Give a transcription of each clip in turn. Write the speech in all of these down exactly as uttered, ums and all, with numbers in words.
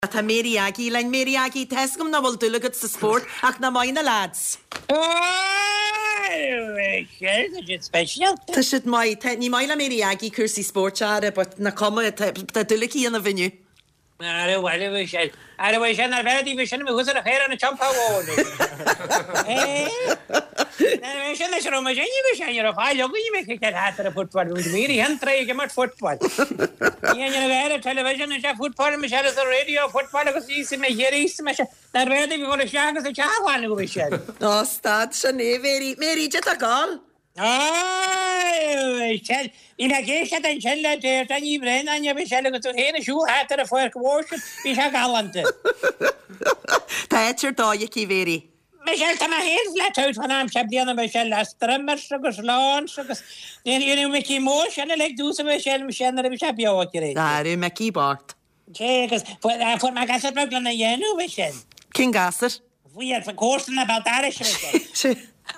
Tá Mary Aggie linn. Mary Aggie, tá 'fhios agam nach bhfuil dúil agat sa spórt ach nach maith na lads. Speisialta. Tá siad maith. Tá, ní maith le Mary Aggie cúrsaí spóirt ara, but nach cuma, tá, tá dúil aici ionaibh inniu. Ara bhuel, bhí sé, ara bhí sé nar bheith bhí sin thuas ar a chéir an teampall amháin. Bhí sin leis raibh mé sin bhí sé ar a fáil againn mé ciceáil thart ar an football, bhí mé an tré ag imirt football. Ní an bheith ar television is football me sé ar radio football agus í mé chéirí me sé nar bheith bhí go isteach agus a teach go bhí sé. Ó, stad sin é, Mary. Mary, cad tá ag gabháil? Bhí mé ag éisteacht ansin le Deirdre Ní Bhraonáin a bhí sé agus tú féin ag siúl thart ar an pháirc mhór sin, bhí sé galánta. Tá áit ar dóigh aici, Mary. Michelle, tá mé féin flat out fan am seo bliana Michelle le strimmers agus lawns agus ní raibh Mickey mór sin uilig dús a Michelle Michelle nuair a bhí sé beo aici réidh. Cha raibh Mickey bocht. Sé agus fuair fuair mé gasúr beag lena dhéanamh Michelle. Cén gasúr? Bhí ar comharsan na Béal Dorais Michelle. Sé.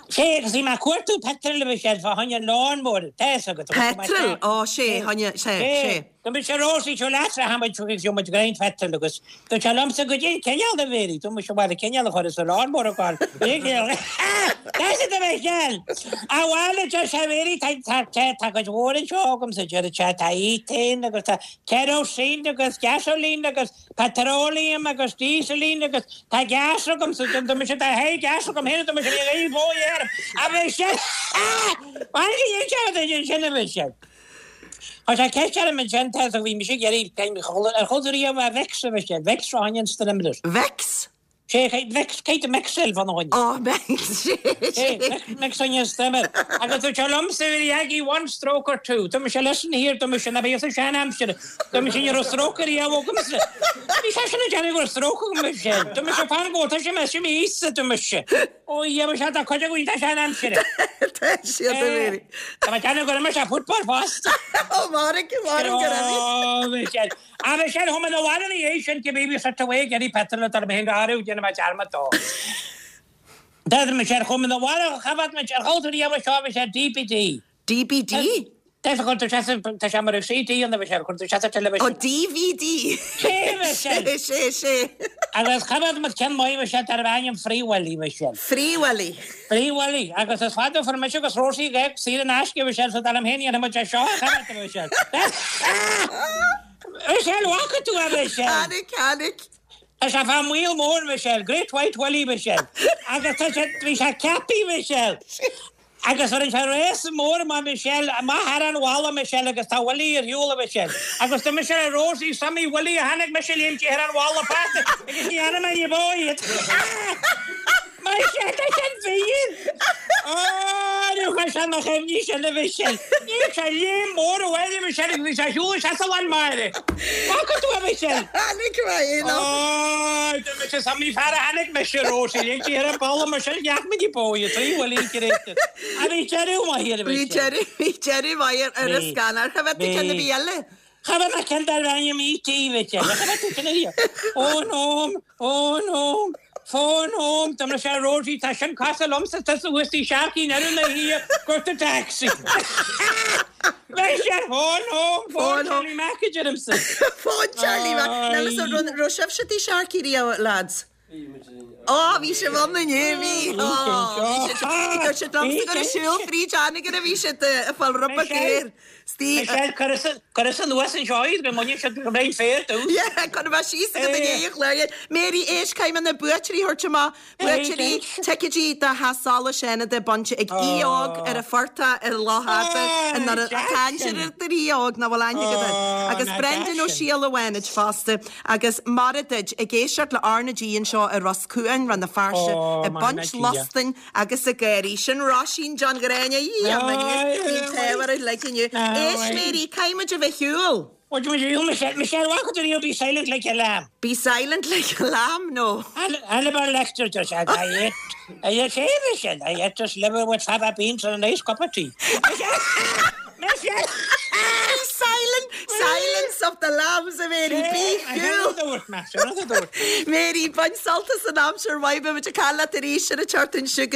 Sé agus bhí mé ag cuartú petrol a Michelle fá choinne an lawnmower, tá 'fhios agat. Petrol? Ó, sé, choinne, sé, sé. Go mbeidh sé Rosie seo leat a tháinig chuig seo muid greint phetrol agus dúirt sé liomsa go dtí an cineál a Mhéirí, dúirt mise bhuel an cineál a chur sa lawnmower a ghabháil. Tá siad a Michelle! A bhuel a deir sé Mhéirí tá tá tá tá cuid mhór anseo agamsa deir sé tá ethane agus tá kerosene agus gasoline agus petroleum agus dieseline agus tá gas agamsa dúirt mise tá hé gas agam féin dúirt mise bhí an bhó air a Michelle! Bhuel go dtí sin sin a Michelle. Tá sé ceist orm ansin tá a bhí mise ag iarraidh ar chuala tú riamh a Vicks a Michelle, Vicks fá choinne an strimmer. Vicks? Sé Vicks, cé Mexil fá choinne. Ó, Mexil, sé, sé. Vicks fá choinne an strimmer. Agus dúirt sé liomsa bhí Aggie one stroke or two. Dúirt mise listen here, dúirt mise ná bíodh sa sean-aimsir. Dúirt mise ní raibh stroke riamh agamsa. Bhí seisean ag déanamh go raibh stroke agam Michelle. Dúirt mise fan go tá sé mé sin míosa dúirt mise. Ó dhia mise tá cuid againn tá sean-aimsire. Tá siad a Mhéirí. Tá mé ag déanamh go raibh mise football fosta. Ó mairg, mairg go raibh. Ó Michelle. A Michelle chuaigh mé 'na bhaile ina dhiaidh sin cibé bhí suite away ag iarraidh petrol a mé féin go áirithe déanfaidh mé dearmad dó. D'fhéadfadh Michelle chuaigh mé 'na bhaile cha bhfad muid ar chuala tú riamh seo Michelle DBD. DBD? D'fhéadfadh chuir tú sé tá sé mar CD ann a Michelle chuir tú sé sa Ó DVD! Sé Michelle! Sé, sé, sé. Agus cha bhfad muid ceann maith Michelle darbh ainm Free Willy Michelle. Free Willy. Free Willy agus is fada a fuair mise agus Rosie ag saor in aisce Michelle so dar liom féin dhéanfaidh muid é seo a chaitheamh a Michelle. Michelle bhfaca tú é Michelle? Chonaic, chonaic. Tá sé fá maol mór Michelle, Great White Willy Michelle. Agus tá sé, bhí sé ceapaí Michelle. Agus rinne sé réasa mór amach Michelle, amach thar an bhalla Michelle agus tá Willy ar shiúl a Michelle. Agus do Michelle a Rosie, Sammy Willy a tháinig mise léim di thar an bhalla fosta agus ní fhearr mé ní bó iad. Michelle, tá sin fíor! Ó, ní chuir sé na cuimhní sin a Mhichelle. Ní sé léim mór abhaile Michelle agus bhí sé ar shiúl isteach sa lán máire. Bhfaca tú é Michelle? Tháinig mé in Ó, do mise Sammy fear a tháinig mise Rosie, léim di thar an bhalla Michelle, neach mé ní bó iad, trí Willy an A bhí deireadh maith ar a Bhí Michelle. deireadh, bhí deireadh maith ar ar an Bhí, scannán. Cha bhfeadh tú ceann ar bhí. bith eile? Cha bhfeadh mé ceann darbh ainm ET Michelle. Cha bhfeadh tú ceann ar bith. Phone home, phone home, phone home. Dá mbeadh sé Rosie, tá sin cosúil liomsa tusa thuas tí Sharkey in Oireadh na hIa, got a taxi. Michelle, phone home, phone Phone home. Charlie Mac a deirimse. Phone Charlie Mac. Níl fhios agam, raibh raibh sibhse tí Sharkey riamh, lads? Ó, bhí sibh ann inniu, bhí. Ó, bhí siad, dúirt siad liomsa gur ag siúl fríd Anagaire a bhí siad ag fáil ruball géar. Steve. Michelle, cuireadh anuas anseo iad go mbaineann siad go mbeidh féar dús. Yeah, chun a bheith síos agat i ndiaidh an chláir. Mary, éist, caithfidh mé na buaiteoirí a thabhairt amach. Buaiteoirí ticéidí do Theach Solais Fhánada bainte ag aoi óg ar an phortach ar Loch Fhada i nDoire. Tá aimsir ar aoi óg nach bhfuil aithne agat air. Agus Brendan Ó Siadhail ó Fhánaid fosta. Agus maire duit, ag éisteacht le R na G anseo i Ros Cuain, Rann na Feirste, ag baint lustain agus ag gáirí. Sin Róisín John Ghráinne, í an bhí an t-ádh orainn uilig inniu. Éist Mary, caithfidh muid a bheith ar shiúl. Bhuel, muid ar shiúl, Michelle, Michelle, bhfaca tú riamh Be Silent Like a Lamb? Be Silent Like a Lamb? No. Hannibal Lecter, deir sé, I ate, I ate, hey Michelle, I ate this liver with fava beans and a nice cup of tea. Michelle! Be silent, silence of the lambs a Mary, bí cool. Mary, bain sult as an aimsir mhaith, beidh muid ag caint leat arís ar an tseachtain seo chugainn.